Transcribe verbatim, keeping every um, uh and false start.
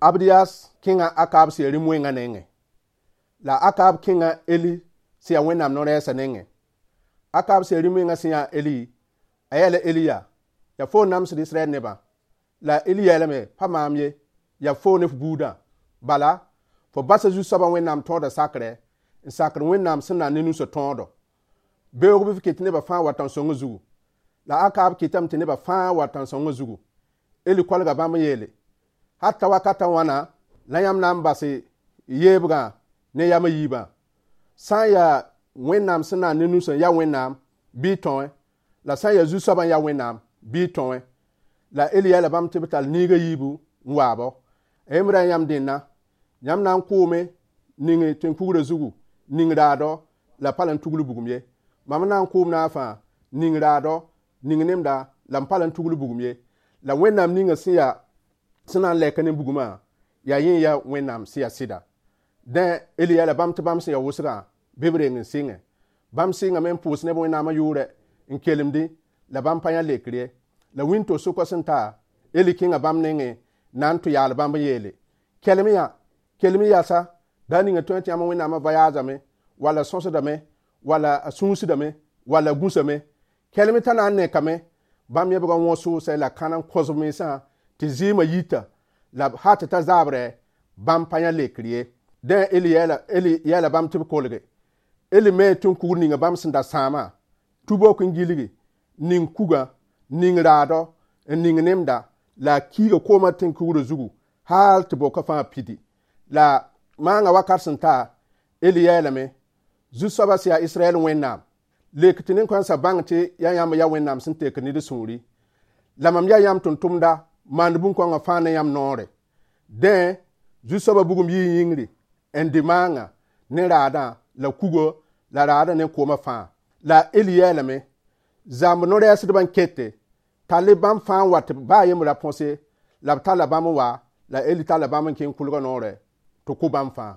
Abdiyas kẽnga Akab sẽn ya rĩm wẽngã nengẽ. La Akab kẽnga Eli sẽn ya Wẽnnaam no-rɛɛsã nengẽ. Akab sẽn ya rĩm wẽngã sẽn yã Eli, a yeela Eli yaa: yaa foo n namsd Israɛl nebã. La Eli yeelame: pa maam ye, yaa foo ne f buudã. Bala, fo basa zu-soabã Wẽnnaam tõodã sakrɛ, n sakd Wẽnnaam sẽn na ne nusã tõodo. Beoog bɩ f ket nebã fãa wa tãn-sõngã zugu. La Akab kɩtame tɩ nebã fãa wa tãn-sõngã zugu. Eli kolga bãmb n yeele: hal ta wakatã wãna la yãmb na n bas yeebgã ne yam a yiibã? Sã n yaa Wẽnnaam sẽn na ne nusã n ya Wẽnnaam, bɩ y tõe, la sã n yaa zu-soabã n ya Wẽnnaam, bɩ y tõe. La Eli yeela bãmb tɩ b tall niiga yiibu n waabo. A yembra yãmb dẽnna, yãmb na n kʋʋme ning tẽn-kugrã zugu, ning raadɔ la pa la n tugl bugum ye. Mam na n kʋʋm naafã ning raadɔ, ning nemda la m pa la n tugl bugum ye. La Wẽnnaam ninga sẽn yaa sẽn na n lɛka ne bugumã, yaa yẽ ya Wẽnnaam sẽn yaa sɩda. Dẽ Eli yeela bãmb tɩ bãmb sẽn ya wʋsgã bɩ b reng n sɩngẽ. Bãmb sɩngame n pʋʋs neb Wẽnnaamã yʋʋrɛ n kelemdẽ, la bãmb pa yã lekr ye. La wĩnto-sʋkã sẽn ta, Eli kẽnga bãmb nengẽ na n tʋ yaal bãmb n yeele: kelem yã, kelem yasa, daa ninga tõe tɩ yãmb Wẽnnaamã voyaazame, wala sõsdame, wala a sũusdame, wala gũsame. Kelem t'a na n nekame. Bãmb yẽbga wõ sʋʋsɛ la kãna n kõsb mensã tɩ zɩɩmã yita, la hal tɩ ta zaabrɛ, bãmb pa yã lekr ye. Dẽ Eli yeela Eli yeela bãmb tɩ b kolge. Eli me tẽn-kugr ninga bãmb sẽn da sãamã, tubok n gilgi, ning kugã, ning raadɔ, n ning nemda, la a kiiga koomã tẽn-kugrã zugu hal tɩ boka fãa pidi. La maangã wakat sẽn ta, Eli yeelame: zu-soabã sẽn yaa Israɛl Wẽnnaam, lek tɩ nin-kãensã bãng tɩ yaa yãmb ya Wẽnnaam sẽn tekd ned sũuri. La mam yaa yãmb tʋm-tʋmda maand bũn-kõngã fãa ne yãmb noore. Dẽ zu-soabã bugum yɩ yĩngri n dɩ maangã ne raadã la kugo la raadã ne koomã fãa. La Eli yeelame: zãmb no-rɛɛsdbã n kete, tall bãmb fãa n wa tɩ baa yembr ra põse. La b talla bãmb n wa, la Eli talla bãmb n kẽng kʋlgã noorɛ tɩ kʋ bãmb fãa.